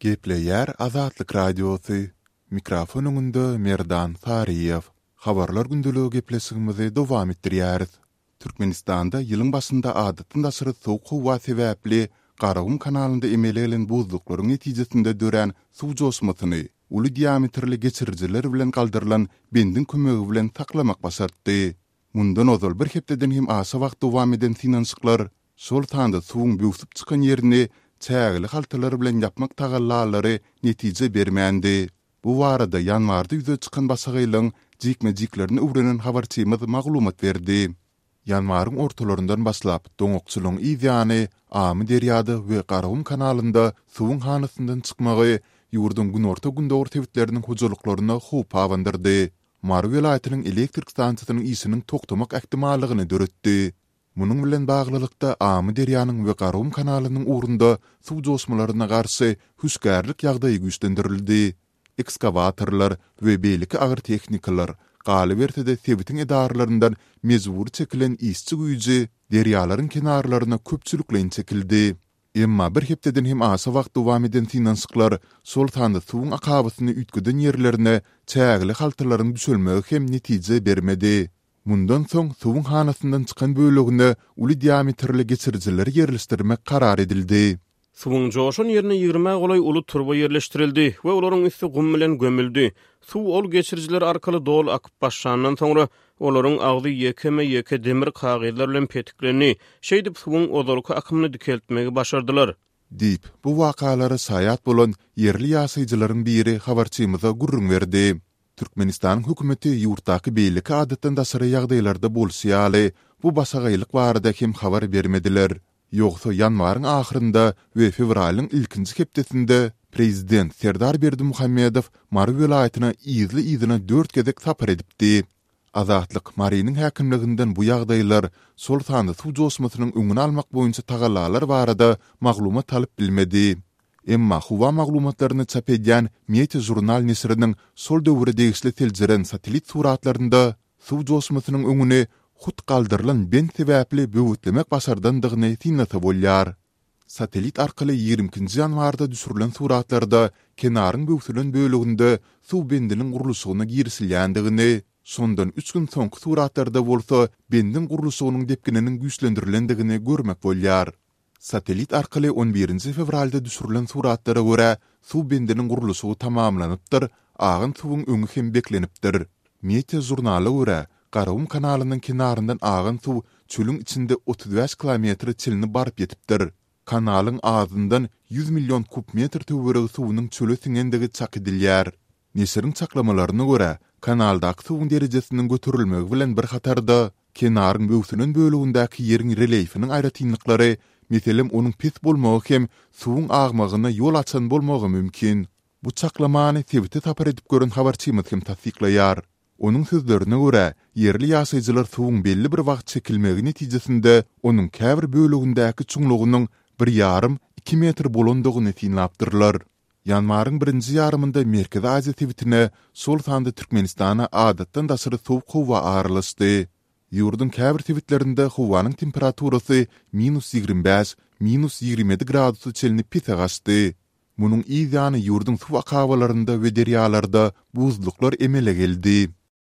Gepleýär Azatlyk Radiosy, Mikrofon öňünde Merdan Saryýew. Habarlar gündeligi gepleşigimizi dowam etdirýäris. Türkmenistanda ýylyň başynda adatdan daşary sowuk howa sebäpli Garagum kanalynda emele gelen buzluklaryň netijesinde dörän suw joşmasyny uly diametrli geçirijiler bilen galdyrylan bendiň kömegi bilen saklamak başartdy. Mundan ozal bir hepdeden hem aşa wagt dowam eden synanyşyklar, şol sanda suwuň böwsüp çykan ýerini çägeli haltalar bilen ýapmak tagallalary netije bermändi. Bu barada ýanwarda ýüze çykan başagaýlygyň jikme-jiklerini öwrenen habarçymyz maglumat berdi. Ýanwaryň ortalaryndan başlap, doňakçylygyň yz ýany Amyderýada we Garagum kanalynda suwuň hanasyndan çykmagy ýurduň günorta-gündogar sebitleriniň hojalyklaryna howp abandyrdy. Mary welaýatynyň elektrik stansiýasynyň işiniň togtamak ähtimallygyny döretdi. Munuň bilen baglylykda, Amyderýanyň we Garagum kanalynyň ugrunda suw joşmalaryna garşy hüşgärlik ýagdaýy güýçlendirildi. Ekskawatorlar we beýleki agyr tehnikalar, galyberse-de sebitiň edaralaryndan mejbury çekilen işçi güýji derýalaryň kenarlaryna köpçülikleýin çekildi. Emma bir hepdeden hem aşa wagt dowam eden synanyşyklar, şol sanda suwuň akabasyny üýtgeden ýerlerine çägeli haltalaryň düşelmegi hem netije bermedi. Mundan soň suwuň hanasyndan çykan bölegine uly diametrli geçirijileri ýerleşdirmek karar edildi. Suwuň joşan ýerine ýigrimä golaý uly turba ýerleşdirildi we olaryň üsti gum bilen gömüldi. Suw ol geçirijiler arkaly doly akyp başlandan soňra, olaryň agzy ýekeme-ýeke demir kagyzlar bilen petiklendi. Şeýdip, suwuň ozalky akymyny dikeltmegi başardylar. Diýip, bu wakalara şaýat bolan ýerli ýaşaýjylaryň biri habarçymyza gürrüň berdi. Türkmenistanyň hökümeti ýurtdaky beýleki adatdan daşary ýagdaýlarda bolşy ýaly, bu başagaýlyk barada hem habar bermediler. Ýogsa ýanwaryň ahyrynda we fewralyň ilkinji hepdesinde prezident Serdar Berdimuhamedow Mary welaýatyna yzly-yzyna dört gezek sapar edipdi. Azatlyk Marynyň häkimliginden bu ýagdaýlar, şol sanda suw joşmasynyň öňüni almak boýunça tagallalar barada maglumat alyp bilmedi. Emma howa maglumatlaryny çap edýän Meteožurnal neşiriniň şol döwüre degişli seljeren satellit suratlarynda suw joşmasynyň öňüni hut galdyrylan bent sebäpli böwetlemek başardandygyny synlasa bolýar. Satellit arkaly 22 nji ýanwarda düşürilen suratlarda kenaryň böwsülen böleginde suw bendiniň gurluşygyna girişilýändigini, şondan üç gün soňky suratlarda bolsa bendiň gurluşygynyň depgininiň güýçlendirilendigini görmek bolýar. Satellit arkaly on birinji fewralda düşürilen suratlara görä, suw bendiniň gurluşygy tamamlanypdyr, agan suwuň öňi hem beklenipdir. Meteor žurnala görä, Garagum kanalynyň kenaryndan agan suw çölüň içinde 35 kilometre çenli baryp ýetipdir. Kanalyň azyndan 100 million kub metr töweregi suwunyň çöle siňendigi çak edilýär. Neşiriň çaklamalaryna görä, kanaldaky suwuň derejesiniň göterilmegi bilen bir hatarda, kenaryň böwsülen bölegindäki ýeriň relýefiniň aýratynlyklary, meselem, onuň pes bolmagy hem suwuň agmagyna ýol açan bolmagy mümkin. Bu çaklamany sebite sapar edip gören habarçymyz hem tassyklaýar. Onuň sözlerine görä, ýerli ýaşaýjylar suwuň belli bir wagt çekilmegi netijesinde onuň käbir bölegindäki çuňlugynyň bir ýarym, iki metr bolandygyny synlapdyrlar. Ýanwaryň birinji ýarymynda Merkezi Aziýa sebitine, şol sanda Türkmenistana adatdan daşary sowuk howa aralaşdy. Ýurduň käbir sebitlerinde howanyň temperaturasy minus 25, minus 27 gradusa çenli pese gaçdy. Munuň yz ýany ýurduň suw akabalarynda we derýalarda buzluklar emele geldi.